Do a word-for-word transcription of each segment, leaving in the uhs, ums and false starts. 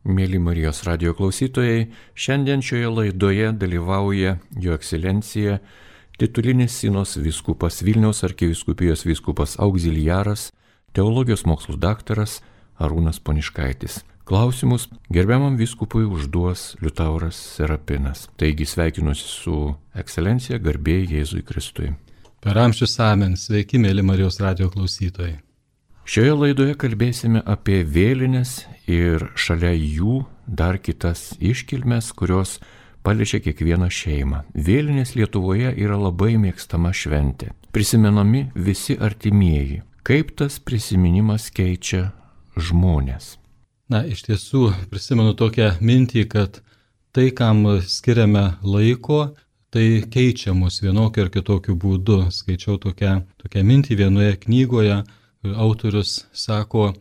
Mėly Marijos radijo klausytojai, šiandien šioje laidoje dalyvauja Jo Ekscelencija titulinis Sinos vyskupas Vilniaus arkivyskupijos vyskupas auxiliaras, teologijos mokslų daktaras Arūnas Poniškaitis. Klausimus gerbiamam vyskupui užduos Liutauras Serapinas. Taigi sveikinuosi su Ekscelencija, garbė Jėzui Kristui. Per amžius amen, sveiki mėly Marijos radijo klausytojai. Šioje laidoje kalbėsime apie vėlines ir šalia jų dar kitas iškilmes, kurios paliečia kiekvieną šeimą. Vėlinės Lietuvoje yra labai mėgstama šventė. Prisimenami visi artimieji. Kaip tas prisiminimas keičia žmonės? Na, iš tiesų prisimenu tokią mintį, kad tai, kam skiriame laiko, tai keičia mus vienokiu ar kitokiu būdu. Skaičiau tokią, tokią mintį vienoje knygoje. Autorius sako,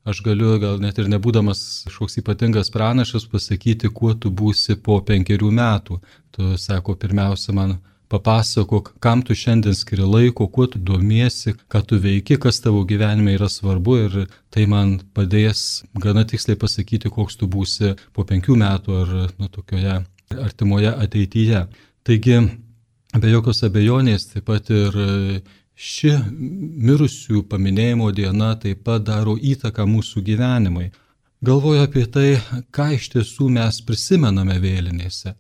aš galiu gal net ir nebūdamas kažkoks ypatingas pranašas pasakyti, kuo tu būsi po penkerių metų. Tu, sako, pirmiausia man papasakok, kam tu šiandien skiri laiko, kuo tu domiesi, ką tu veiki, kas tavo gyvenime yra svarbu ir tai man padės gana tiksliai pasakyti, koks tu būsi po penkių metų ar nu, tokioje artimoje ateityje. Taigi, be jokios abejonės, taip pat ir ši mirusių paminėjimo diena taip pat daro įtaką mūsų gyvenimui. Galvoju apie tai, ką iš tiesų mes prisimename vėlinėse.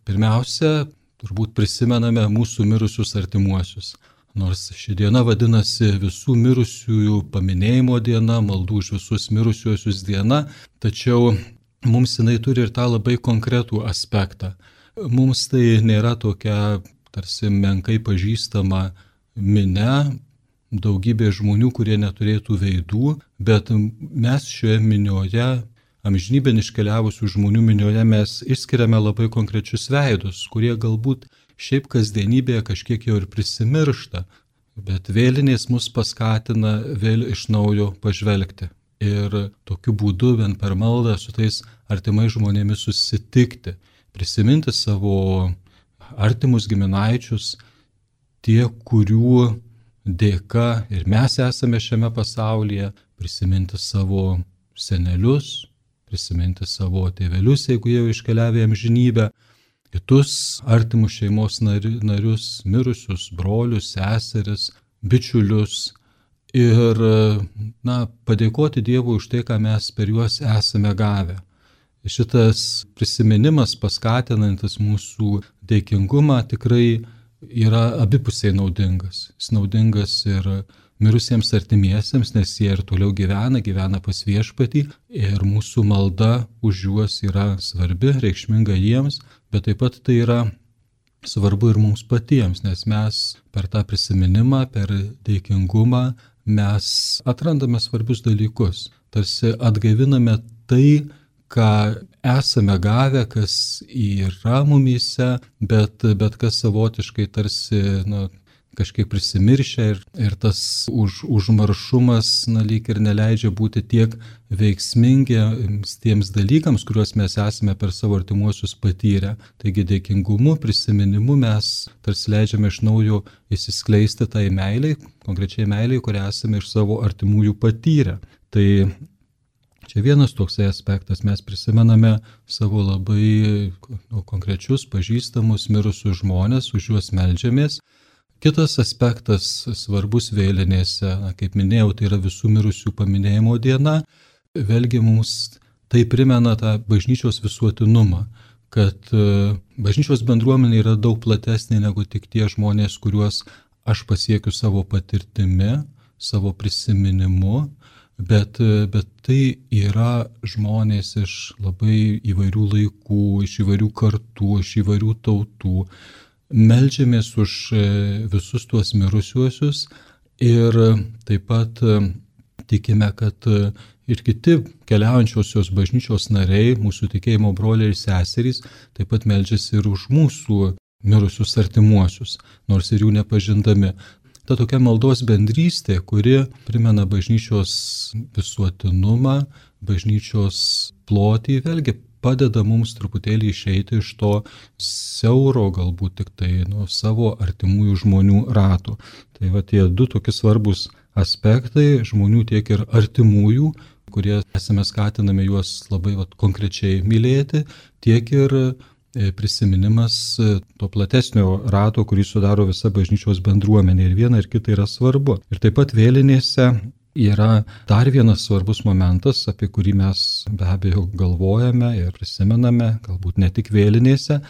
Pirmiausia, turbūt prisimename mūsų mirusius artimuosius. Nors ši diena vadinasi visų mirusiųjų paminėjimo diena, maldų už visus mirusiuosius diena, tačiau mums jinai turi ir tą labai konkretų aspektą. Mums tai nėra tokia tarsi menkai pažįstama minia, daugybė žmonių, kurie neturėtų veidų, bet mes šioje minioje, amžinybėn iškeliavusių žmonių minioje, mes išskiriame labai konkrečius veidus, kurie galbūt šiaip kasdienybėje kažkiek jau ir prisimiršta, bet vėlinės mus paskatina vėl iš naujo pažvelgti. Ir tokiu būdu, vien per maldą su tais artimais žmonėmis susitikti, prisiminti savo artimus giminaičius, tie, kurių dėka ir mes esame šiame pasaulyje, prisiminti savo senelius, prisiminti savo tėvelius, jeigu jau iškeliavę amžinybę, kitus artimus šeimos narius, mirusius, brolius, seseris, bičiulius ir na, padėkoti Dievui už tai, ką mes per juos esame gavę. Šitas prisiminimas paskatinantis mūsų dėkingumą tikrai yra abipusiai naudingas. Jis naudingas ir mirusiems artimiesiems, nes jie ir toliau gyvena, gyvena pas Viešpatį ir mūsų malda už juos yra svarbi, reikšminga jiems, bet taip pat tai yra svarbu ir mums patiems, nes mes per tą prisiminimą, per dėkingumą mes atrandame svarbius dalykus. Tarsi atgaiviname tai, ką esame gavę, kas yra mumyse, bet, bet kas savotiškai tarsi nu, kažkiek prisimiršę ir, ir tas už, užmaršumas na, lyg ir neleidžia būti tiek veiksmingiams tiems dalykams, kuriuos mes esame per savo artimuosius patyrę. Taigi dėkingumu, prisiminimu mes tarsi leidžiame iš naujo įsiskleisti tai meiliai, konkrečiai meiliai, kurią esame iš savo artimųjų patyrę. Tai čia vienas toksai aspektas, mes prisimename savo labai nu, konkrečius, pažįstamus, mirusius žmonės, už juos meldžiamės. Kitas aspektas svarbus vėlinėse, na, kaip minėjau, tai yra visų mirusių paminėjimo diena. Vėlgi mums tai primena tą bažnyčios visuotinumą, kad bažnyčios bendruomenė yra daug platesnė negu tik tie žmonės, kuriuos aš pasiekiu savo patirtimi, savo prisiminimu. Bet, bet tai yra žmonės iš labai įvairių laikų, iš įvairių kartų, iš įvairių tautų. Meldžiamės už visus tuos mirusiuosius ir taip pat tikime, kad ir kiti keliaujančiosios bažnyčios nariai, mūsų tikėjimo broliai ir seserys, taip pat meldžiasi ir už mūsų mirusius artimuosius, nors ir jų nepažindami. Ta tokia maldos bendrystė, kuri primena bažnyčios visuotinumą, bažnyčios plotį, vėlgi padeda mums truputėlį išeiti iš to siauro, galbūt tik tai nu, savo artimųjų žmonių rato. Tai va tie du tokie svarbus aspektai žmonių, tiek ir artimųjų, kurie esame skatinami juos labai vat, konkrečiai mylėti, tiek ir prisiminimas to platesnio rato, kurį sudaro visa bažnyčios bendruomenė. Ir viena ir kita yra svarbu. Ir taip pat vėlinėse yra dar vienas svarbus momentas, apie kurį mes be abejo galvojame ir prisimename, galbūt ne tik vėlinėse,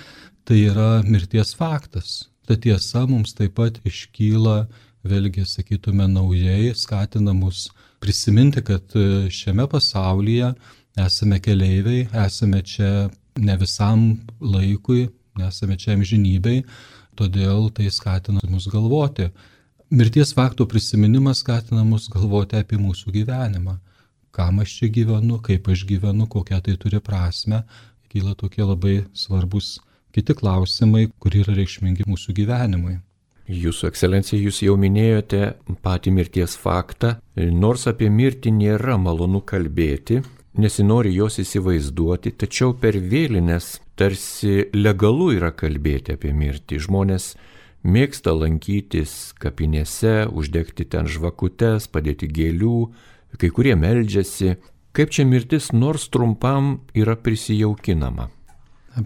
tai yra mirties faktas. Ta tiesa mums taip pat iškyla, vėlgi sakytume, naujai, skatina mus prisiminti, kad šiame pasaulyje esame keleiviai, esame čia ne visam laikui, nesame čia amžinybei, todėl tai skatina mus galvoti. Mirties fakto prisiminimas skatina mus galvoti apie mūsų gyvenimą. Kam aš čia gyvenu, kaip aš gyvenu, kokią tai turi prasme. Kyla tokie labai svarbus kiti klausimai, kurie yra reikšmingi mūsų gyvenimui. Jūsų ekscelencija, jūs jau minėjote patį mirties faktą. Nors apie mirtį nėra malonu kalbėti, nesinori jos įsivaizduoti, tačiau per vėlines tarsi legalu yra kalbėti apie mirtį. Žmonės mėgsta lankytis kapinėse, uždegti ten žvakutes, padėti gėlių, kai kurie meldžiasi. Kaip čia mirtis nors trumpam yra prisijaukinama?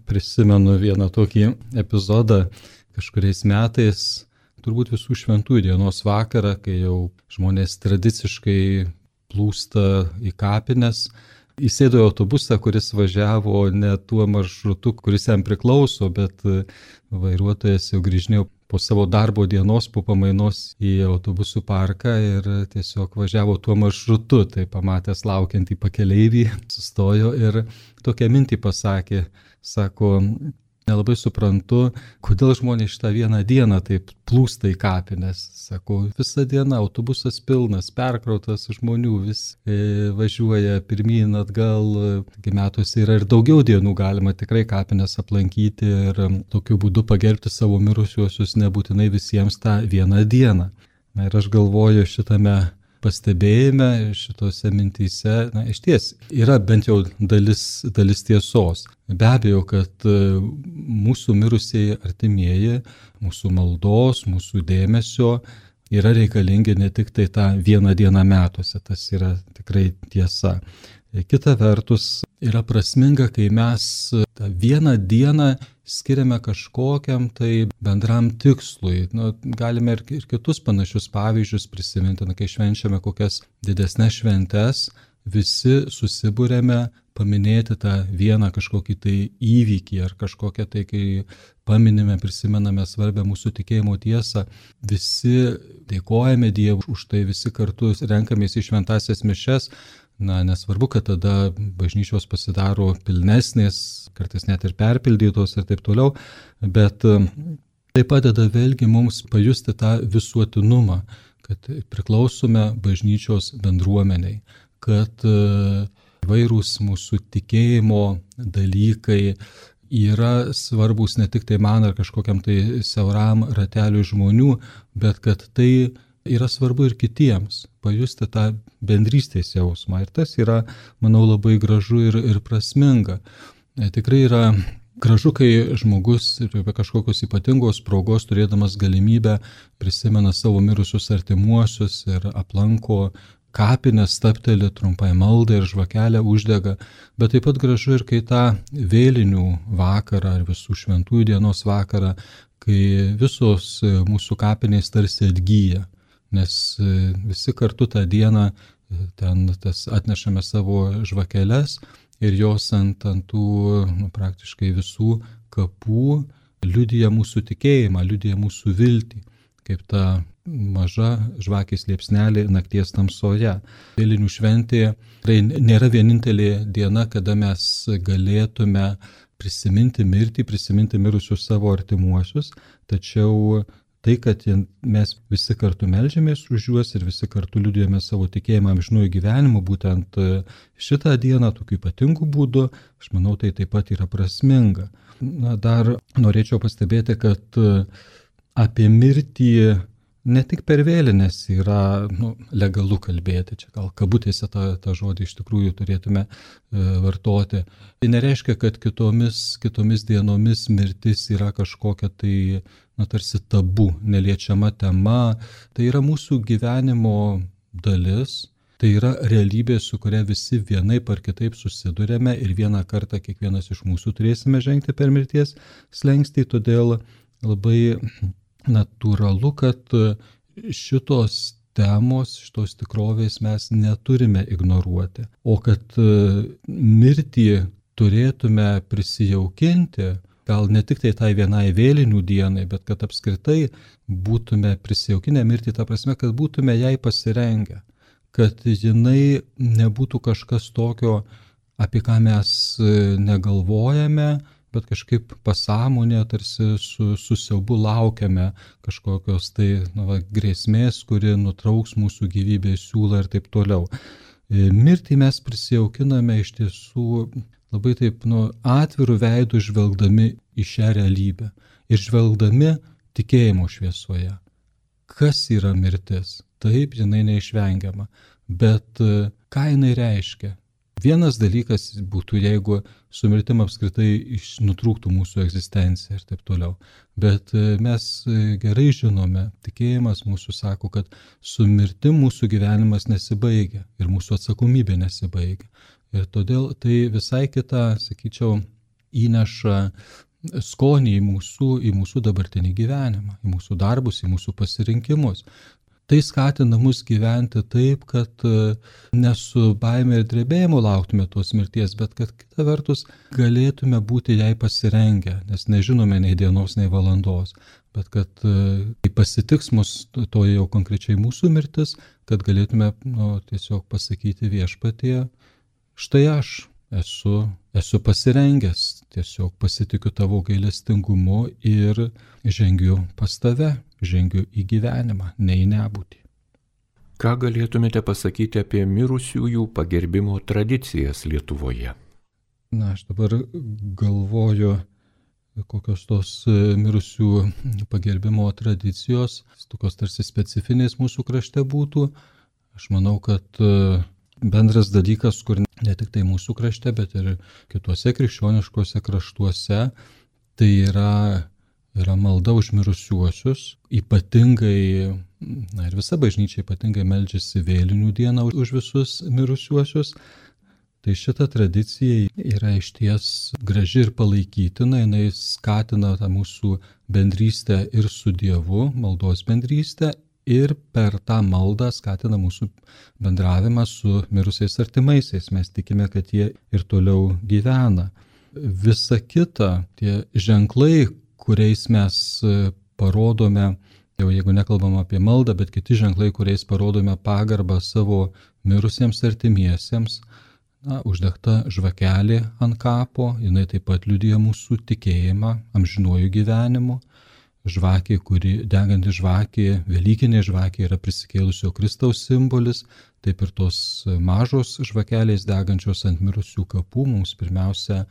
Prisimenu vieną tokį epizodą kažkuriais metais, turbūt visų šventųjų dienos vakarą, kai jau žmonės tradiciškai plūsta į kapines. Įsėdo į autobusą, kuris važiavo ne tuo maršrutu, kuris jam priklauso, bet vairuotojas jau grįžinėjo po savo darbo dienos, po pamainos į autobusų parką ir tiesiog važiavo tuo maršrutu. Tai pamatęs laukiantį pakeleivį, sustojo ir tokią mintį pasakė, sako, nelabai suprantu, kodėl žmonės šitą vieną dieną taip plūsta į kapines. Sako, visą dieną autobusas pilnas, perkrautas žmonių, vis e, važiuoja pirmyn atgal. Metuose yra ir daugiau dienų galima tikrai kapines aplankyti ir tokiu būdu pagerbti savo mirusiuosius nebūtinai visiems tą vieną dieną. Na ir aš galvoju šitame pastebėjime, šitose mintyse, na, iš ties yra bent jau dalis, dalis tiesos. Be abejo, kad mūsų mirusieji artimieji, mūsų maldos, mūsų dėmesio yra reikalingi ne tik tai tą vieną dieną metuose, tas yra tikrai tiesa. Kita vertus, yra prasminga, kai mes tą vieną dieną skiriame kažkokiam tai bendram tikslui. Nu, galime ir, ir kitus panašius pavyzdžius prisiminti, na, kai švenčiame kokias didesnes šventes, visi susibūrėme paminėti tą vieną kažkokį tai įvykį ar kažkokią tai, kai paminime, prisimename svarbę mūsų tikėjimo tiesą, visi dėkojame Dievui už tai, visi kartu renkamės į šventąsias mišias. Na, nesvarbu, kad tada bažnyčios pasidaro pilnesnės, kartais net ir perpildytos ir taip toliau, bet tai padeda vėlgi mums pajusti tą visuotinumą, kad priklausome bažnyčios bendruomeniai, kad įvairūs mūsų tikėjimo dalykai yra svarbus ne tik tai man ar kažkokiam tai siauram rateliui žmonių, bet kad tai yra svarbu ir kitiems, pajusti tą bendrystės jausmą. Ir tas yra, manau, labai gražu ir, ir prasminga. Tikrai yra gražu, kai žmogus be kažkokios ypatingos progos, turėdamas galimybę, prisimena savo mirusius artimuosius ir aplanko kapines, stabteli trumpai maldą ir žvakelę uždega. Bet taip pat gražu ir kai tą vėlinių vakarą ar visų šventųjų dienos vakarą, kai visos mūsų kapinės tarsi atgyja. Nes visi kartu tą dieną ten tas atnešame savo žvakeles ir jos ant, ant tų nu, praktiškai visų kapų liudija mūsų tikėjimą, liudija mūsų viltį, kaip ta maža žvakės liepsnelė nakties tamsoje. Vėlinių šventė tai nėra vienintelė diena, kada mes galėtume prisiminti mirtį, prisiminti mirusius savo artimuosius, tačiau tai, kad mes visi kartu melžiamės už juos ir visi kartu liudijame savo tikėjimą amžinųjų gyvenimų, būtent šitą dieną tokiu ypatingu būdu, aš manau, tai taip pat yra prasminga. Na, dar norėčiau pastebėti, kad apie mirtį ne tik per vėlines yra nu, legalu kalbėti, čia gal kabutėse tą, tą žodį iš tikrųjų turėtume e, vartoti. Tai nereiškia, kad kitomis, kitomis dienomis mirtis yra kažkokia tai na, tarsi tabu, neliečiama tema. Tai yra mūsų gyvenimo dalis. Tai yra realybė, su kuria visi vienaip ar kitaip susidurėme ir vieną kartą kiekvienas iš mūsų turėsime žengti per mirties slenkstį, todėl labai natūralu, kad šitos temos, šitos tikrovės mes neturime ignoruoti, o kad mirtį turėtume prisijaukinti, gal ne tik tai tai vienai vėlinių dienai, bet kad apskritai būtume prisijaukinę mirtį, ta prasme, kad būtume jai pasirengę, kad jinai nebūtų kažkas tokio, apie ką mes negalvojame, bet kažkaip pasąmonė tarsi su, su siaubu laukiame kažkokios tai nu, va, grėsmės, kuri nutrauks mūsų gyvybės siūlą ir taip toliau. Mirtį mes prisijaukiname iš tiesų labai taip nu, atvirų veidų žvelgdami į šią realybę ir žvelgdami tikėjimo šviesoje. Kas yra mirtis? Taip, jinai neišvengiama. Bet ką jinai reiškia? Vienas dalykas būtų, jeigu su mirtim apskritai nutrūktų mūsų egzistencija ir taip toliau. Bet mes gerai žinome, tikėjimas mūsų sako, kad su mirtim mūsų gyvenimas nesibaigia ir mūsų atsakomybė nesibaigia. Ir todėl tai visai kita, sakyčiau, įneša skonį į mūsų, į mūsų dabartinį gyvenimą, į mūsų darbus, į mūsų pasirinkimus. Tai skatina mus gyventi taip, kad ne su baime ir drebėjimu lauktume tos mirties, bet kad kita vertus galėtume būti jai pasirengę, nes nežinome nei dienos, nei valandos, bet kad kai pasitiks mus to jau konkrečiai mūsų mirtis, kad galėtume nu, tiesiog pasakyti viešpatie, štai aš esu, esu pasirengęs, tiesiog pasitikiu tavo gailestingumu ir žengiu pas tave. Žengiu į gyvenimą, ne į nebūtį. Ką galėtumėte pasakyti apie mirusiųjų pagerbimo tradicijas Lietuvoje? Na, aš dabar galvoju, kokios tos mirusių pagerbimo tradicijos, tokios tarsi specifinės mūsų krašte būtų. Aš manau, kad bendras dalykas, kur ne tik tai mūsų krašte, bet ir kituose krikščioniškuose kraštuose, tai yra yra malda už mirusiuosius, ypatingai, na ir visa bažnyčia ypatingai meldžiasi vėlinių dieną už visus mirusiuosius. Tai šita tradicija yra išties graži ir palaikytina, jinai skatina tą mūsų bendrystę ir su Dievu, maldos bendrystę, ir per tą maldą skatina mūsų bendravimą su mirusiais artimaisiais. Mes tikime, kad jie ir toliau gyvena. Visa kita, tie ženklai, kuriais mes parodome, jau jeigu nekalbam apie maldą, bet kiti ženklai, kuriais parodome pagarbą savo mirusiems artimiesiems, na, uždegta žvakelė ant kapo, jinai taip pat liudija mūsų tikėjimą amžinuoju gyvenimu. Žvakė, kuri deganti žvakė, velykinė žvakė yra prisikėlusio Kristaus simbolis, taip ir tos mažos žvakelės degančios ant mirusių kapų mums pirmiausia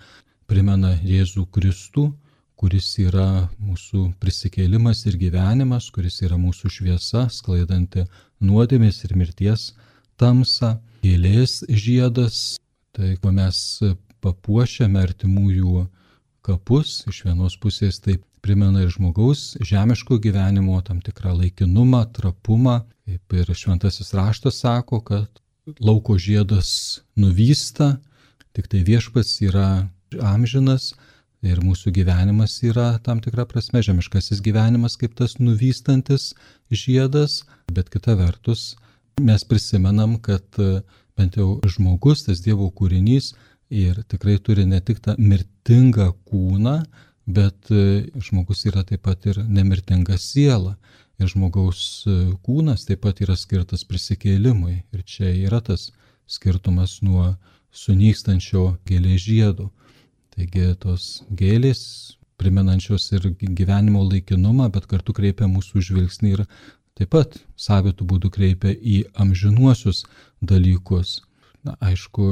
primena Jėzų Kristų, kuris yra mūsų prisikėlimas ir gyvenimas, kuris yra mūsų šviesa, sklaidanti nuodėmės ir mirties tamsą. Gėlės žiedas, tai ko mes papuošiame artimųjų kapus, iš vienos pusės tai primena ir žmogaus žemiško gyvenimo tam tikrą laikinumą, trapumą, kaip ir šventasis raštas sako, kad lauko žiedas nuvysta, tik tai viešpats yra amžinas, ir mūsų gyvenimas yra tam tikra prasme žemiškasis gyvenimas kaip tas nuvystantis žiedas, bet kita vertus mes prisimenam, kad bent jau žmogus, tas Dievo kūrinys, ir tikrai turi ne tik tą mirtingą kūną, bet žmogus yra taip pat ir nemirtinga siela. Ir žmogaus kūnas taip pat yra skirtas prisikėlimui. Ir čia yra tas skirtumas nuo sunykstančio gėlės žiedo. Taigi tos gėlės, primenančios ir gyvenimo laikinumą, bet kartu kreipia mūsų žvilgsnį ir taip pat savitų būdų kreipia į amžinuosius dalykus. Na, aišku,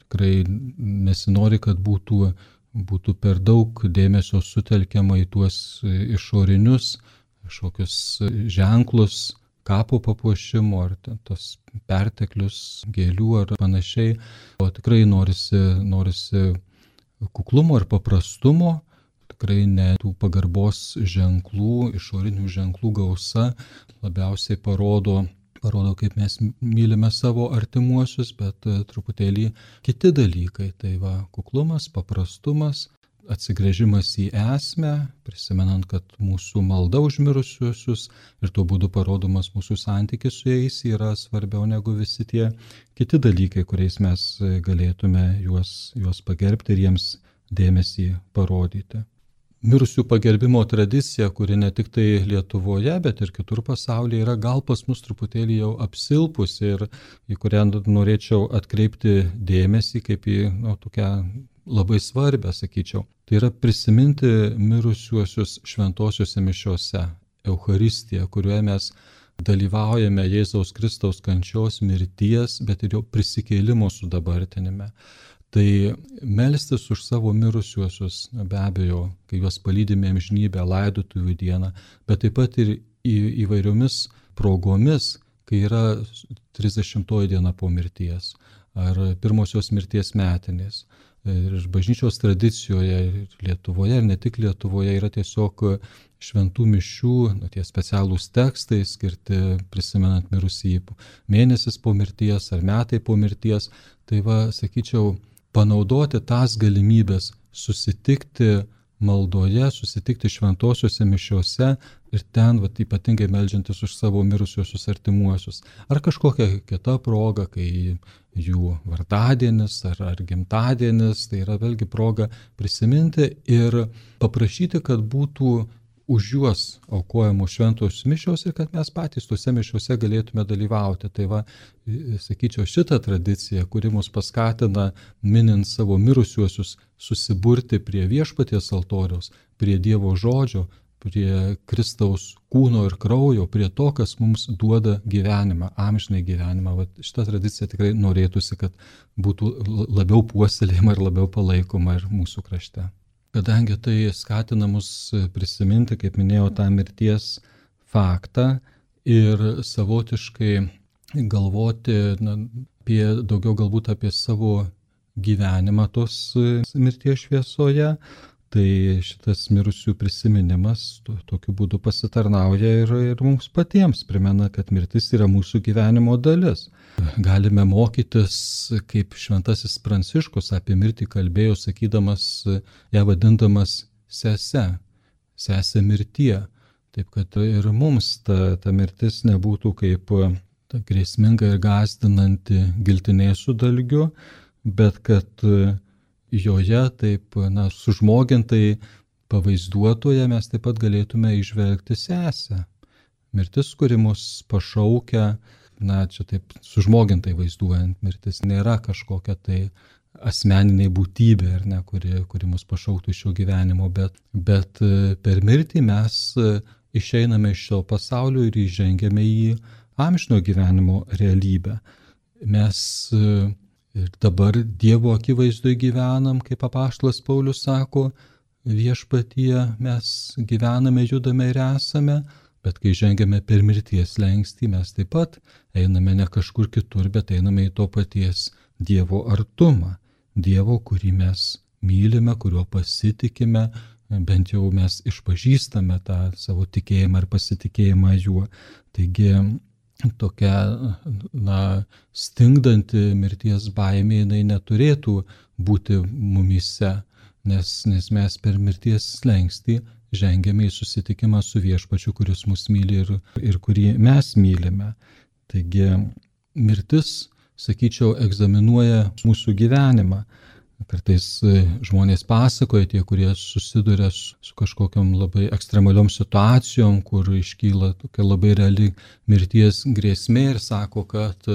tikrai nesinori, kad būtų, būtų per daug dėmesio sutelkiama į tuos išorinius, kažkokius ženklus, kapo papuošimo ar tos perteklius gėlių ar panašiai. O tikrai norisi, norisi kuklumo ir paprastumo, tikrai ne tų pagarbos ženklų, išorinių ženklų gausa labiausiai parodo parodo, kaip mes mylime savo artimuosius, bet truputėlį kiti dalykai. Tai va, kuklumas, paprastumas, atsigręžimas į esmę, prisimenant, kad mūsų malda už mirusiuosius ir tuo būdu parodomas mūsų santykis su jais yra svarbiau negu visi tie kiti dalykai, kuriais mes galėtume juos, juos pagerbti ir jiems dėmesį parodyti. Mirusių pagerbimo tradicija, kuri ne tik tai Lietuvoje, bet ir kitur pasaulyje yra gal pas mus truputėlį jau apsilpusi ir į kurią norėčiau atkreipti dėmesį kaip į nu, tokią labai svarbę, sakyčiau. Tai yra prisiminti mirusiuosius šventosiuose mišiose, Eucharistiją, kurioje mes dalyvaujame Jėzaus Kristaus kančios, mirties, bet ir jo prisikėlimo sudabartinime. Tai melstis už savo mirusiuosius, be abejo, kai juos palydime amžinybę, laidotuvių dieną, bet taip pat ir į, įvairiomis progomis, kai yra trisdešimtoji diena po mirties ar pirmosios mirties metinės. Ir bažnyčios tradicijoje Lietuvoje ir ne tik Lietuvoje yra tiesiog šventų mišių, nu, tie specialūs tekstai skirti prisimenant mirusį mėnesis po mirties ar metai po mirties. Tai va, sakyčiau, panaudoti tas galimybės susitikti maldoje, susitikti šventosiuose mišiuose ir ten vat, ypatingai meldžiantis už savo mirusiuosius artimuosius. Ar kažkokia kita proga, kai jų vardadienis ar, ar gimtadienis, tai yra vėlgi proga prisiminti ir paprašyti, kad būtų už juos aukojamos šventos mišios ir kad mes patys tuose mišiuose galėtume dalyvauti. Tai va, sakyčiau, šitą tradiciją, kuri mus paskatina, minint savo mirusiuosius, susiburti prie viešpaties altoriaus, prie Dievo žodžio, prie Kristaus kūno ir kraujo, prie to, kas mums duoda gyvenimą, amžinai gyvenimą. Va, šitą tradiciją tikrai norėtųsi, kad būtų labiau puoselėjama ir labiau palaikoma ir mūsų krašte. Kadangi tai skatina mus prisiminti, kaip minėjau, tą mirties faktą ir savotiškai galvoti na, apie, daugiau galbūt apie savo gyvenimą tos mirties šviesoje, tai šitas mirusių prisiminimas to, tokiu būdu pasitarnauja ir, ir mums patiems primena, kad mirtis yra mūsų gyvenimo dalis. Galime mokytis, kaip šventasis Pranciškus apie mirtį kalbėjo, sakydamas, ją vadindamas sese, sese mirtie. Taip kad ir mums ta, ta mirtis nebūtų kaip ta grėsminga ir gąsdinanti giltinė su dalgiu, bet kad joje taip, na, sužmogintai pavaizduotoje mes taip pat galėtume įžvelgti sesę. Mirtis, kuri mus pašaukia, na, čia taip sužmogintai vaizduojant, mirtis nėra kažkokia tai asmeniniai būtybė, ar ne, kuri, kuri mus pašauktų iš šio gyvenimo, bet, bet per mirtį mes išeiname iš šio pasaulio ir įžengiame į amžino gyvenimo realybę. Mes ir dabar Dievo akivaizdoje gyvenam, kaip apaštalas Paulius sako, viešpatyje mes gyvename, judame ir esame, bet kai žengiame per mirties slenkstį, mes taip pat einame ne kažkur kitur, bet einame į to paties Dievo artumą. Dievo, kurį mes mylime, kuriuo pasitikime, bent jau mes išpažįstame tą savo tikėjimą ir pasitikėjimą juo. Taigi tokia, na, stingdanti mirties baimė, jinai neturėtų būti mumyse, nes, nes mes per mirties slengstį žengiame į susitikimą su viešpačiu, kuris mus myli ir, ir kurį mes mylime. Taigi mirtis, sakyčiau, egzaminuoja mūsų gyvenimą. Kartais žmonės pasakoja, tie, kurie susiduria su, su kažkokiam labai ekstremaliom situacijom, kur iškyla tokia labai reali mirties grėsmė ir sako, kad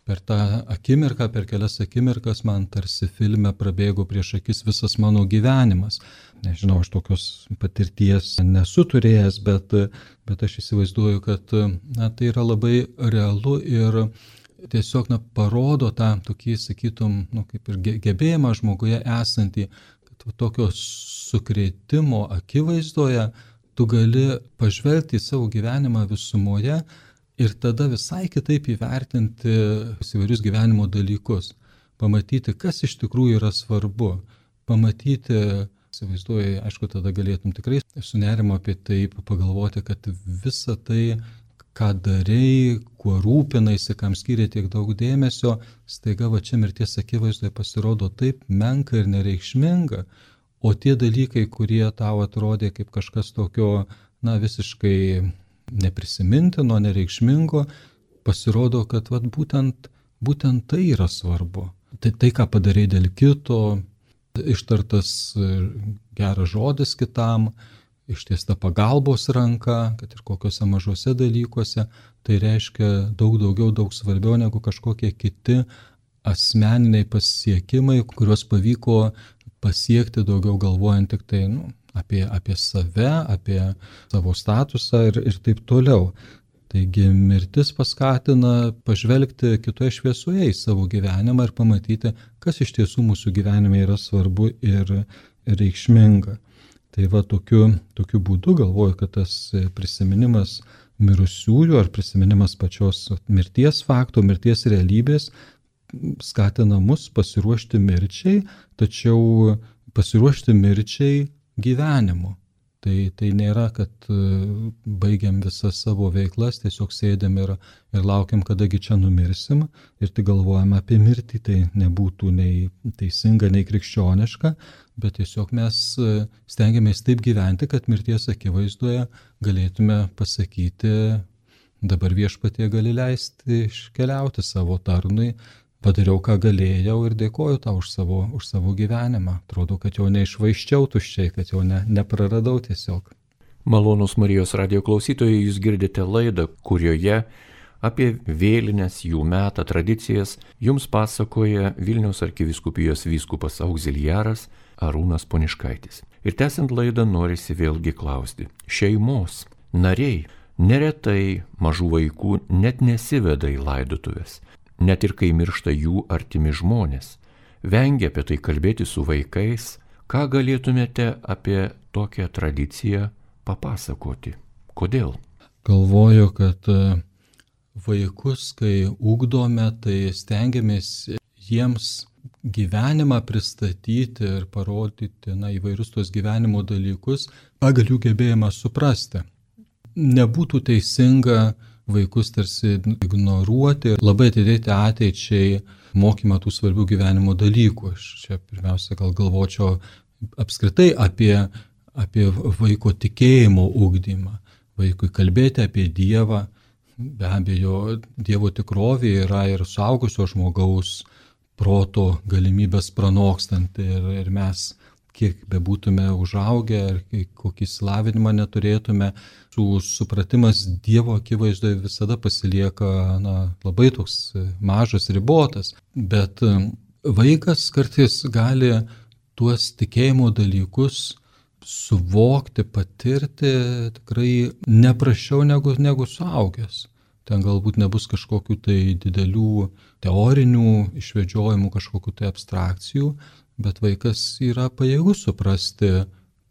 per tą akimirką, per kelias akimirkas man tarsi filme prabėgo prieš akis visas mano gyvenimas. Nežinau, aš tokios patirties nesu turėjęs, bet, bet aš įsivaizduoju, kad na, tai yra labai realu ir tiesiog na, parodo tą tokį, sakytum, nu, kaip ir gebėjimą žmoguje esantį, kad tokio sukrėtimo akivaizdoje tu gali pažvelgti į savo gyvenimą visumoje ir tada visai kitaip įvertinti įvairius gyvenimo dalykus, pamatyti, kas iš tikrųjų yra svarbu, pamatyti įsivaizduoju, aišku, tada galėtum tikrai su nerimo apie tai pagalvoti, kad visa tai, ką darei, kuo rūpinaisi, kam skiria tiek daug dėmesio, staiga va čia mirties akivaizdoje pasirodo taip menka ir nereikšminga, o tie dalykai, kurie tau atrodė kaip kažkas tokio, na, visiškai neprisimintino, nereikšmingo, pasirodo, kad vat, būtent, būtent tai yra svarbu. Tai, tai, ką padarai dėl kito, ištartas geras žodis kitam, ištiesta pagalbos ranka, kad ir kokiuose mažose dalykuose, tai reiškia daug daugiau, daug svarbiau negu kažkokie kiti asmeniniai pasiekimai, kuriuos pavyko pasiekti daugiau galvojant tik tai nu, apie, apie save, apie savo statusą ir, ir taip toliau. Taigi mirtis paskatina pažvelgti kitoje šviesoje į savo gyvenimą ir pamatyti, kas iš tiesų mūsų gyvenime yra svarbu ir reikšminga. Tai va tokiu, tokiu būdu galvoju, kad tas prisiminimas mirusiųjų ar prisiminimas pačios mirties fakto, mirties realybės skatina mus pasiruošti mirčiai, tačiau pasiruošti mirčiai gyvenimu. Tai, tai nėra, kad baigiam visas savo veiklas, tiesiog sėdėm ir, ir laukiam, kadagi čia numirsim ir tik galvojam apie mirtį, tai nebūtų nei teisinga, nei krikščioniška, bet tiesiog mes stengiamės taip gyventi, kad mirties akivaizdoje galėtume pasakyti, dabar viešpatie gali leisti iškeliauti savo tarnui, padariau, ką galėjau ir dėkoju tau už savo, už savo gyvenimą. Atrodo, kad jau neišvaiščiau tuščiai, kad jau ne, nepraradau tiesiog. Malonūs Marijos radijo klausytojai, jūs girdite laidą, kurioje apie vėlines, jų metą, tradicijas jums pasakoja Vilniaus arkivyskupijos vyskupas augziliaras Arūnas Poniškaitis. Ir tęsiant laidą norisi vėlgi klausti. Šeimos nariai neretai mažų vaikų net nesiveda į laidotuvės. Net ir kai miršta jų artimi žmonės. Vengia apie tai kalbėti su vaikais. Ką galėtumėte apie tokią tradiciją papasakoti? Kodėl? Galvoju, kad vaikus, kai ugdome, tai stengiamės jiems gyvenimą pristatyti ir parodyti na, įvairius tos gyvenimo dalykus pagal jų gebėjimą suprasti. Nebūtų teisinga vaikus tarsi ignoruoti ir labai atidėti ateičiai mokymą tų svarbių gyvenimo dalykų. Aš čia pirmiausia gal galvočiau apskritai apie, apie vaiko tikėjimo ugdymą, vaikui kalbėti apie Dievą. Be abejo, Dievo tikrovė yra ir suaugusio žmogaus proto galimybės pranokstanti ir, ir mes, kiek bebūtume užaugę ir kokį įsilavinimą neturėtume, su supratimas Dievo akivaizdoje visada pasilieka na, labai toks mažas, ribotas. Bet vaikas kartais gali tuos tikėjimo dalykus suvokti, patirti tikrai neprasčiau negu, negu suaugęs. Ten galbūt nebus kažkokių tai didelių teorinių išvedžiojimų, kažkokių tai abstrakcijų, bet vaikas yra pajėgus suprasti,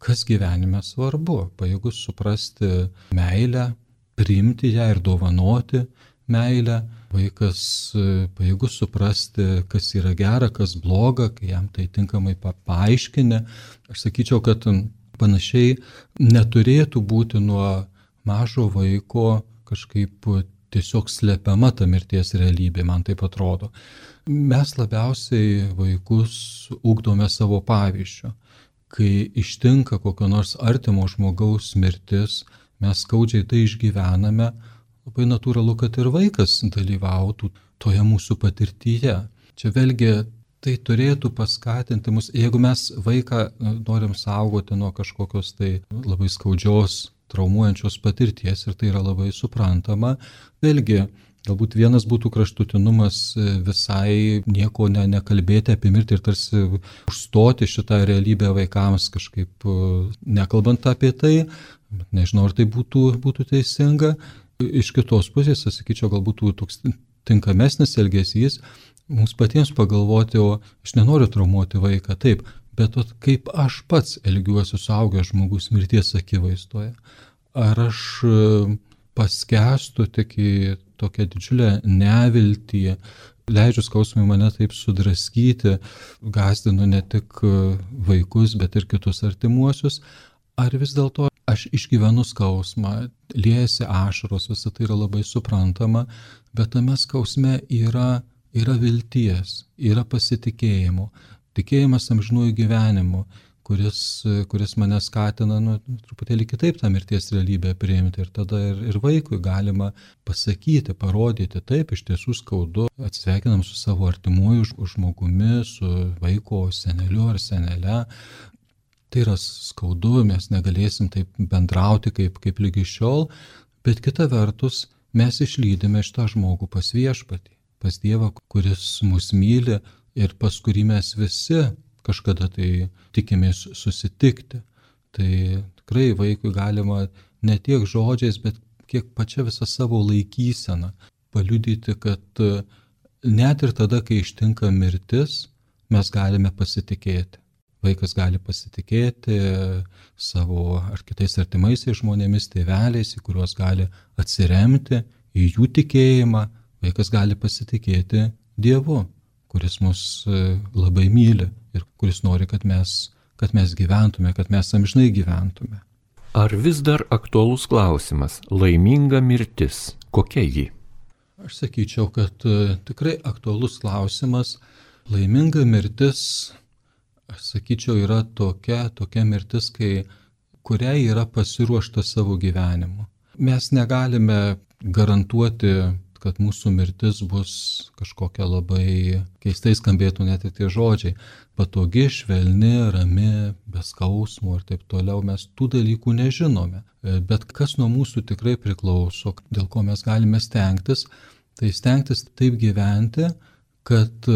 kas gyvenime svarbu, pajėgus suprasti meilę, priimti ją ir dovanoti meilę. Vaikas pajėgus suprasti, kas yra gera, kas bloga, kai jam tai tinkamai paaiškini. Aš sakyčiau, kad panašiai neturėtų būti nuo mažo vaiko kažkaip tiesiog slepiama ta mirties realybė, man taip atrodo. Mes labiausiai vaikus ugdome savo pavyzdžiu. Kai ištinka kokio nors artimo žmogaus mirtis, mes skaudžiai tai išgyvename, labai natūralu, kad ir vaikas dalyvautų toje mūsų patirtyje. Čia vėlgi tai turėtų paskatinti mus, jeigu mes vaiką norim saugoti nuo kažkokios tai labai skaudžios, traumuojančios patirties ir tai yra labai suprantama. Vėlgi, galbūt vienas būtų kraštutinumas visai nieko ne, nekalbėti apie mirtį ir tarsi užstoti šitą realybę vaikams kažkaip nekalbant apie tai, bet nežinau, ar tai būtų, būtų teisinga. Iš kitos pusės, aš sakyčiau, galbūt toks tinkamesnis elgesys, mums patiems pagalvoti, o aš nenoriu traumuoti vaiką, taip, bet kaip aš pats elgiuosi suaugęs žmogus mirties akivaizdoje. Ar aš paskęstu tik į tokią didžiulę neviltį, leidžiu skausmui mane taip sudraskyti, gąsdinu ne tik vaikus, bet ir kitus artimuosius, ar vis dėlto aš išgyvenu skausmą, liejasi ašaros, visa tai yra labai suprantama, bet tame skausme yra, yra vilties, yra pasitikėjimo, tikėjimas amžinųjų gyvenimu, kuris, kuris mane skatina nu, truputėlį kitaip tą mirties realybę priimti. Ir tada ir, ir vaikui galima pasakyti, parodyti, taip, iš tiesų skaudu, atsisveikinam su savo artimuoju žmogumi, su vaiko seneliu ar senele. Tai yra skaudu, mes negalėsim taip bendrauti kaip, kaip lygi šiol, bet kita vertus mes išlydime šitą žmogų pas Viešpatį, pas Dievą, kuris mus myli ir pas kurį mes visi kažkada tai tikimės susitikti. Tai tikrai vaikui galima ne tiek žodžiais, bet kiek pačia visą savo laikyseną paliudyti, kad net ir tada, kai ištinka mirtis, mes galime pasitikėti. Vaikas gali pasitikėti savo ar kitais artimaisiais žmonėmis, tėveliais, į kuriuos gali atsiremti, į jų tikėjimą. Vaikas gali pasitikėti Dievu, kuris mus labai myli ir kuris nori, kad mes, kad mes gyventume, kad mes amžinai gyventume. Ar vis dar aktualus klausimas - laiminga mirtis? Kokia ji? Aš sakyčiau, kad tikrai aktualus klausimas. Laiminga mirtis, aš sakyčiau, yra tokia, tokia mirtis, kai, kuriai yra pasiruošta savo gyvenimu. Mes negalime garantuoti, kad mūsų mirtis bus kažkokia labai keistai skambėtų net ir tie žodžiai. Patogi, švelni, rami, be skausmų ir taip toliau. Mes tų dalykų nežinome. Bet kas nuo mūsų tikrai priklauso, dėl ko mes galime stengtis, tai stengtis taip gyventi, kad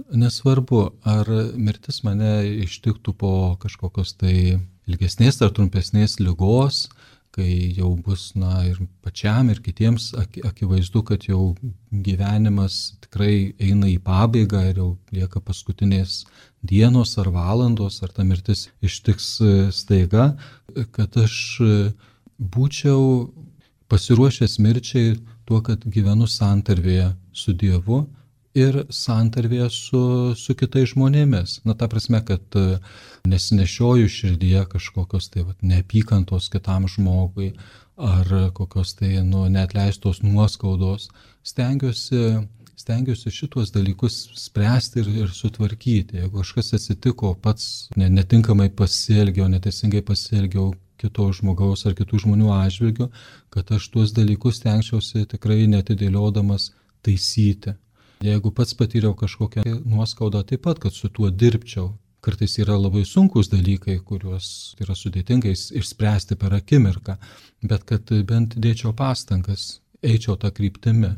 nesvarbu, ar mirtis mane ištiktų po kažkokios tai ilgesnės ar trumpesnės ligos, kai jau bus, na, ir pačiam, ir kitiems akivaizdu, kad jau gyvenimas tikrai eina į pabaigą ir jau lieka paskutinės dienos ar valandos, ar ta mirtis ištiks staiga, kad aš būčiau pasiruošęs mirčiai tuo, kad gyvenu santarvėje su Dievu ir santarvėje su, su kitais žmonėmis. Na, ta prasme, kad nesinešioju širdyje kažkokios tai vat, neapykantos kitam žmogui ar kokios tai nu, neatleistos nuoskaudos. Stengiuosi, stengiuosi šituos dalykus spręsti ir, ir sutvarkyti. Jeigu kažkas atsitiko, pats netinkamai pasielgiau, neteisingai pasielgiau kito žmogaus ar kitų žmonių atžvilgiu, kad aš tuos dalykus stengčiausi tikrai netidėliodamas taisyti. Jeigu pats patyriau kažkokią nuoskaudą, taip pat, kad su tuo dirbčiau. Kartais yra labai sunkus dalykai, kuriuos yra sudėtingai išspręsti per akimirką, bet kad bent dėčiau pastangas, eičiau tą kryptimį.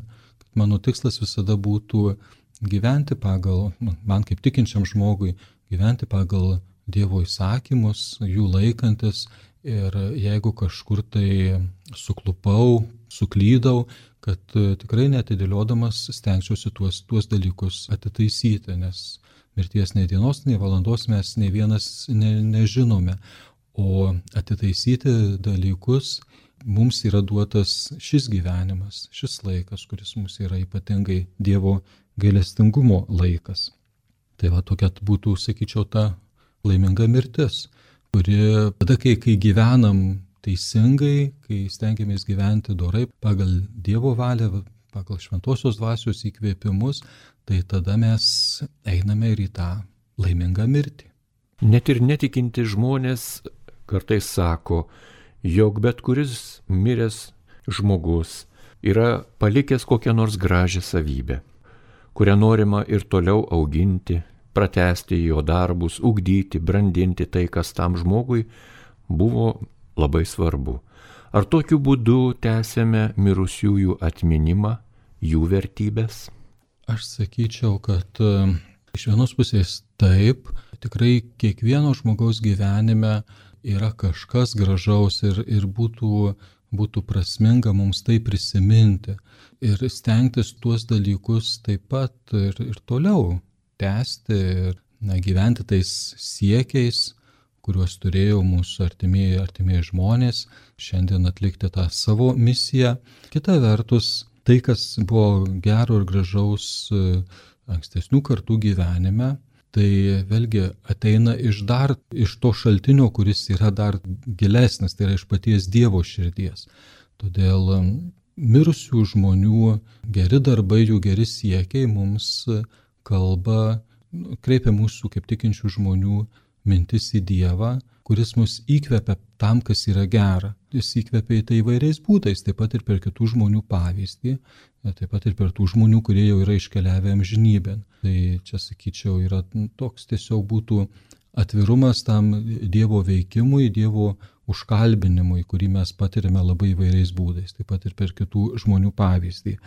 Mano tikslas visada būtų gyventi pagal, man kaip tikinčiam žmogui, gyventi pagal Dievo įsakymus, jų laikantis ir jeigu kažkur tai suklupau, suklydau, kad tikrai netidėliodamas stengčiausi tuos, tuos dalykus atitaisyti, nes mirties nei dienos, nei valandos mes nei vienas ne, nežinome, o atitaisyti dalykus mums yra duotas šis gyvenimas, šis laikas, kuris mums yra ypatingai Dievo gailestingumo laikas. Tai va tokia būtų, sakyčiau, ta laiminga mirtis, kuri tada, kai, kai gyvenam teisingai, kai stengiamės gyventi dorai pagal Dievo valią, pagal šventosios dvasios įkvėpimus, tai tada mes einame ir į tą laimingą mirtį. Net ir netikinti žmonės kartais sako, jog bet kuris miręs žmogus yra palikęs kokią nors gražią savybę, kurią norima ir toliau auginti, pratęsti jo darbus, ugdyti, brandinti tai, kas tam žmogui buvo labai svarbu. Ar tokiu būdu tęsiame mirusiųjų atminimą, jų vertybės? Aš sakyčiau, kad iš vienos pusės taip, tikrai kiekvieno žmogaus gyvenime yra kažkas gražaus ir, ir būtų, būtų prasminga mums tai prisiminti ir stengtis tuos dalykus taip pat ir, ir toliau tęsti ir na, gyventi tais siekiais, kuriuos turėjo mūsų artimieji, artimieji žmonės, šiandien atlikti tą savo misiją. Kita vertus, tai, kas buvo gero ir gražaus ankstesnių kartų gyvenime, tai vėlgi ateina iš dar, iš to šaltinio, kuris yra dar gilesnis, tai yra iš paties Dievo širdies. Todėl mirusių žmonių geri darbai, jų geri siekiai mums kalba, kreipia mūsų kaip tikinčių žmonių mintis į Dievą, kuris mus įkvepia tam, kas yra gera. Jis įkvepia į tai įvairiais būdais, taip pat ir per kitų žmonių pavyzdį, taip pat ir per tų žmonių, kurie jau yra iškeliavę amžinybėn. Tai čia, sakyčiau, yra toks tiesiog būtų atvirumas tam Dievo veikimui, Dievo užkalbinimui, kurį mes patirime labai įvairiais būdais, taip pat ir per kitų žmonių pavyzdį.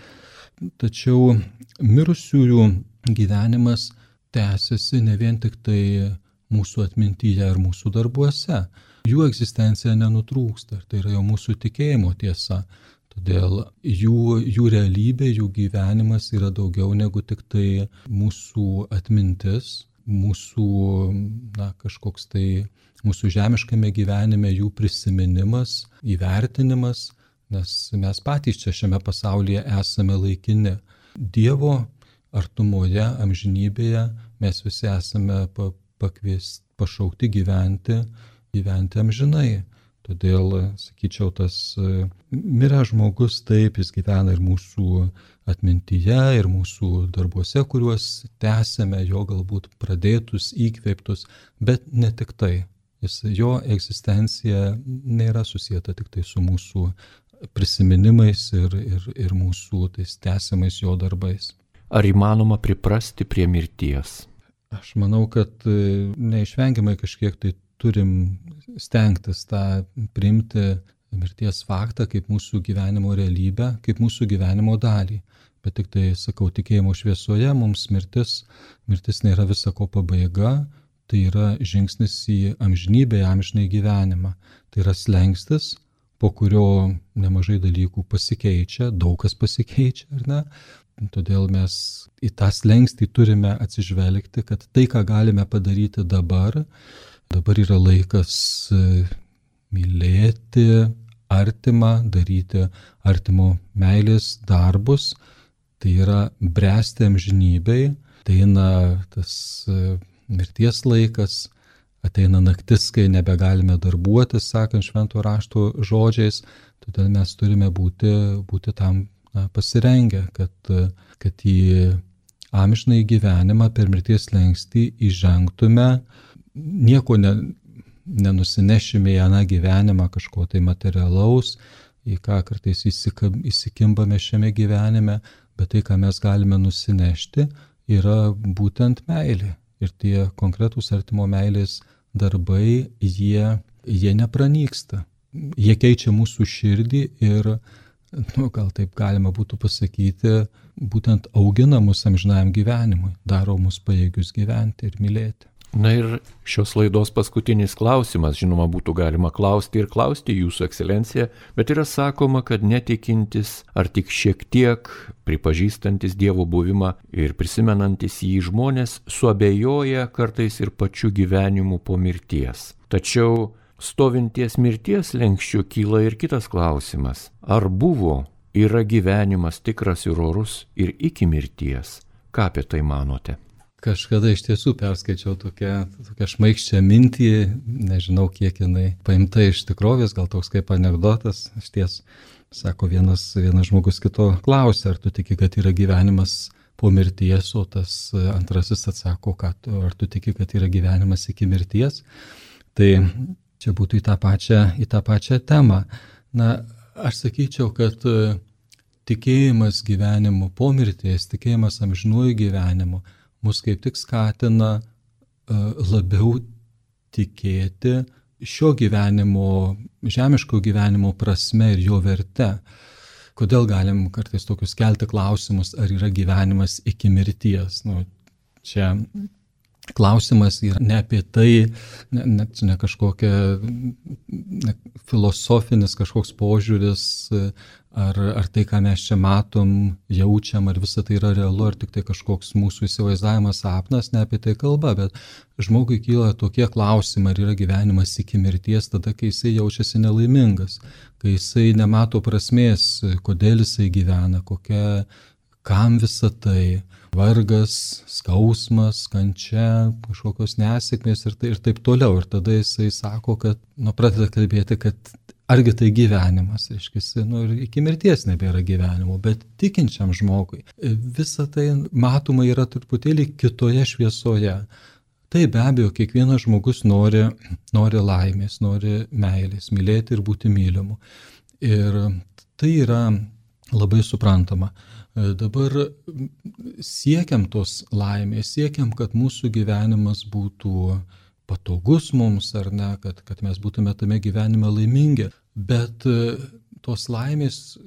Tačiau mirusiųjų gyvenimas tęsiasi ne vien tik tai mūsų atmintyje ir mūsų darbuose. Jų egzistencija nenutrūksta, tai yra jau mūsų tikėjimo tiesa. Todėl jų, jų realybė, jų gyvenimas yra daugiau negu tik tai mūsų atmintis, mūsų na, kažkoks tai mūsų žemiškame gyvenime jų prisiminimas, įvertinimas, nes mes patys čia šiame pasaulyje esame laikini. Dievo artumoje, amžinybėje mes visi esame pakviesti, pašaukti gyventi, gyventi amžinai. Todėl, sakyčiau, tas miręs žmogus taip, jis gyvena ir mūsų atmintyje, ir mūsų darbuose, kuriuos tęsėme, jo galbūt pradėtus, įkvėptus, bet ne tik tai. Jis, jo egzistencija nėra susieta tik tai su mūsų prisiminimais ir, ir, ir mūsų tais tęsiamais jo darbais. Ar įmanoma priprasti prie mirties? Aš manau, kad neišvengiamai kažkiek tai turim stengtis tą priimti mirties faktą kaip mūsų gyvenimo realybę, kaip mūsų gyvenimo dalį. Bet tik tai, sakau, tikėjimo šviesoje mums mirtis, mirtis nėra visako pabaiga, tai yra žingsnis į amžinybę, į amžinai gyvenimą. Tai yra slengstis, po kurio nemažai dalykų pasikeičia, daug kas pasikeičia, ar ne? Todėl mes į tą slengstį turime atsižvelgti, kad tai, ką galime padaryti dabar, dabar yra laikas mylėti artimą, daryti artimo meilės darbus, tai yra bręsti amžinybei, ateina tas mirties laikas, ateina naktis, kai nebegalime darbuotis, sakant švento rašto žodžiais, todėl mes turime būti, būti tam na, pasirengę, kad, kad į amžinąjį gyvenimą per mirties slengstį įžengtume, nieko ne, nenusinešime į aną gyvenimą kažko tai materialaus, į ką kartais įsikimbame šiame gyvenime, bet tai, ką mes galime nusinešti, yra būtent meilė. Ir tie konkretūs artimo meilės darbai, jie, jie nepranyksta. Jie keičia mūsų širdį ir, nu, gal taip galima būtų pasakyti, būtent augina mus amžinajam gyvenimui, daro mus pajėgius gyventi ir mylėti. Na ir šios laidos paskutinis klausimas, žinoma, būtų galima klausti ir klausti jūsų ekscelencija, bet yra sakoma, kad netikintis ar tik šiek tiek pripažįstantis Dievo buvimą ir prisimenantis jį žmonės suabejoja kartais ir pačiu gyvenimu po mirties. Tačiau stovinties mirties lenkščiu kyla ir kitas klausimas. Ar buvo, yra gyvenimas tikras ir orus ir iki mirties? Ką apie tai manote? Kažkada iš tiesų perskaičiau tokią, tokią šmaikščią mintį, nežinau kiek jinai paimta iš tikrovės, gal toks kaip anekdotas. Iš ties, sako vienas, vienas žmogus kito klausia, ar tu tiki, kad yra gyvenimas po mirties, o tas antrasis atsako, kad, ar tu tiki, kad yra gyvenimas iki mirties. Tai čia būtų į tą pačią, į tą pačią temą. Na, aš sakyčiau, kad tikėjimas gyvenimu po mirties, tikėjimas amžinuoju gyvenimu, mus kaip tik skatina uh, labiau tikėti šio gyvenimo, žemiško gyvenimo prasme ir jo verte. Kodėl galim kartais tokius kelti klausimus, ar yra gyvenimas iki mirties? Nu, čia klausimas yra ne apie tai, ne, ne, ne kažkokia ne, filosofinis kažkoks požiūris, ar, ar tai, ką mes čia matom, jaučiam, ar visa tai yra realu, ar tik tai kažkoks mūsų įsivaizdavimas, sapnas, ne apie tai kalba, bet žmogui kyla tokie klausimai, ar yra gyvenimas iki mirties, tada, kai jisai jaučiasi nelaimingas, kai jisai nemato prasmės, kodėl jisai gyvena, kokia, kam visa tai, vargas, skausmas, kančia, kažkokios nesėkmės ir, tai, ir taip toliau. Ir tada jisai sako, kad, nu, pradeda kalbėti, kad argi tai gyvenimas, reiškia, nu, ir iki mirties nebėra gyvenimo, bet tikinčiam žmogui visa tai matoma yra truputėlį kitoje šviesoje. Tai be abejo, kiekvienas žmogus nori, nori laimės, nori meilės, mylėti ir būti mylimu. Ir tai yra labai suprantama. Dabar siekiam tos laimės, siekiam, kad mūsų gyvenimas būtų patogus mums, ar ne, kad, kad mes būtume tame gyvenime laimingi. Bet tos laimės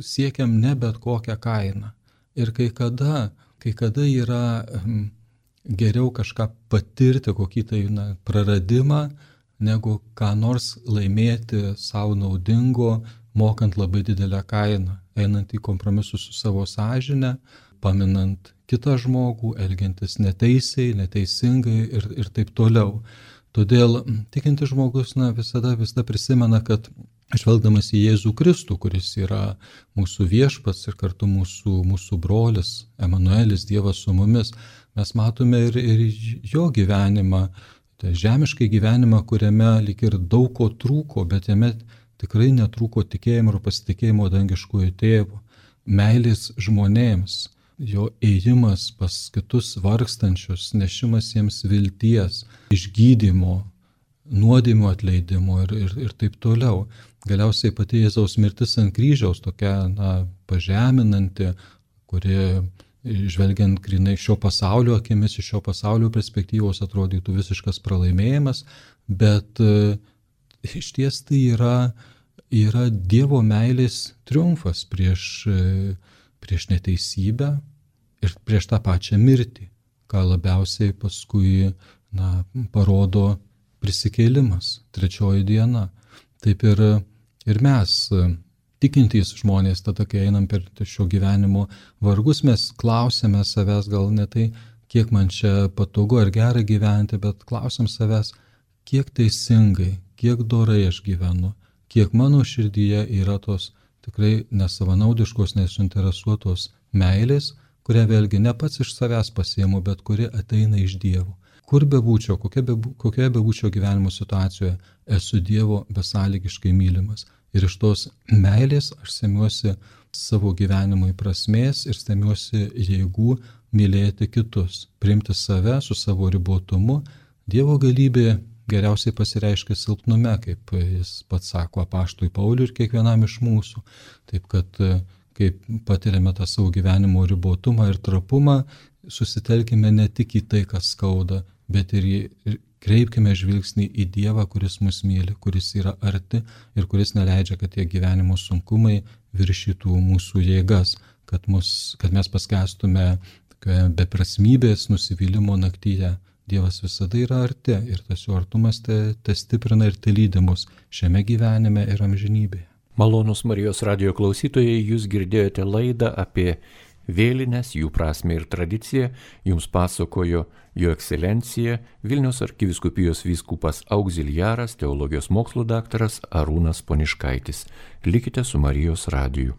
siekiam ne bet kokią kainą. Ir kai kada, kai kada yra geriau kažką patirti, kokį tai na, praradimą, negu ką nors laimėti savo naudingo, mokant labai didelę kainą, einant į kompromisus su savo sąžine, paminant kitą žmogų, elgiantis neteisiai, neteisingai ir, ir taip toliau. Todėl tikintis žmogus na, visada, visada prisimena, kad žvelgdamas į Jėzų Kristų, kuris yra mūsų viešpats ir kartu mūsų, mūsų brolis, Emanuelis, Dievas su mumis, mes matome ir, ir jo gyvenimą, tai žemiškai gyvenimą, kuriame lyg ir daug ko trūko, bet jame tikrai netrūko tikėjimo ir pasitikėjimo dangiškųjų tėvų, meilės žmonėms, jo ėjimas pas kitus vargstančius, nešimas jiems vilties, išgydymo, nuodėmių atleidimo ir, ir, ir taip toliau. Galiausiai pati Jėzaus mirtis ant kryžiaus, tokia na, pažeminanti, kuri žvelgiant grynai šio pasaulio akimis, iš šio pasaulio perspektyvos atrodytų visiškas pralaimėjimas, bet e, iš ties tai yra, yra Dievo meilės triumfas prieš, e, prieš neteisybę ir prieš tą pačią mirtį, ką labiausiai paskui na, parodo prisikėlimas, trečioji diena. Taip ir, ir mes, tikintys žmonės, tada, kai einam per šio gyvenimo vargus, mes klausėme savęs gal ne tai, kiek man čia patogu ar gera gyventi, bet klausim savęs, kiek teisingai, kiek dorai aš gyvenu, kiek mano širdyje yra tos tikrai nesavanaudiškos, nesuinteresuotos meilės, kurią vėlgi ne pats iš savęs pasiimu, bet kuri ateina iš Dievo. Kur bebūčiau, kokia be, kokioje bebūčiau gyvenimo situacijoje, esu Dievo besąlygiškai mylimas. Ir iš tos meilės aš semiuosi savo gyvenimui prasmės ir semiuosi jėgų mylėti kitus, priimti save su savo ribotumu. Dievo galybė geriausiai pasireiškia silpnume, kaip jis pats sako apaštului Pauliui ir kiekvienam iš mūsų. Taip kad, kaip patiriame tą savo gyvenimo ribotumą ir trapumą, susitelkime ne tik į tai, kas skauda, bet ir, į, ir kreipkime žvilgsnį į Dievą, kuris mus myli, kuris yra arti ir kuris neleidžia, kad tie gyvenimo sunkumai viršytų mūsų jėgas, kad, mus, kad mes paskęstume beprasmybės nusivylimo naktyje. Dievas visada yra arti ir tas jo artumas te, te stiprina ir te lydi mus šiame gyvenime ir amžinybėje. Malonūs Marijos radijo klausytojai, jūs girdėjote laidą apie vėlines, jų prasmę ir tradiciją. Jums pasakojo Jo Ekscelencija Vilniaus arkivyskupijos vyskupas augziliaras, teologijos mokslų daktaras Arūnas Poniškaitis. Likite su Marijos radiju.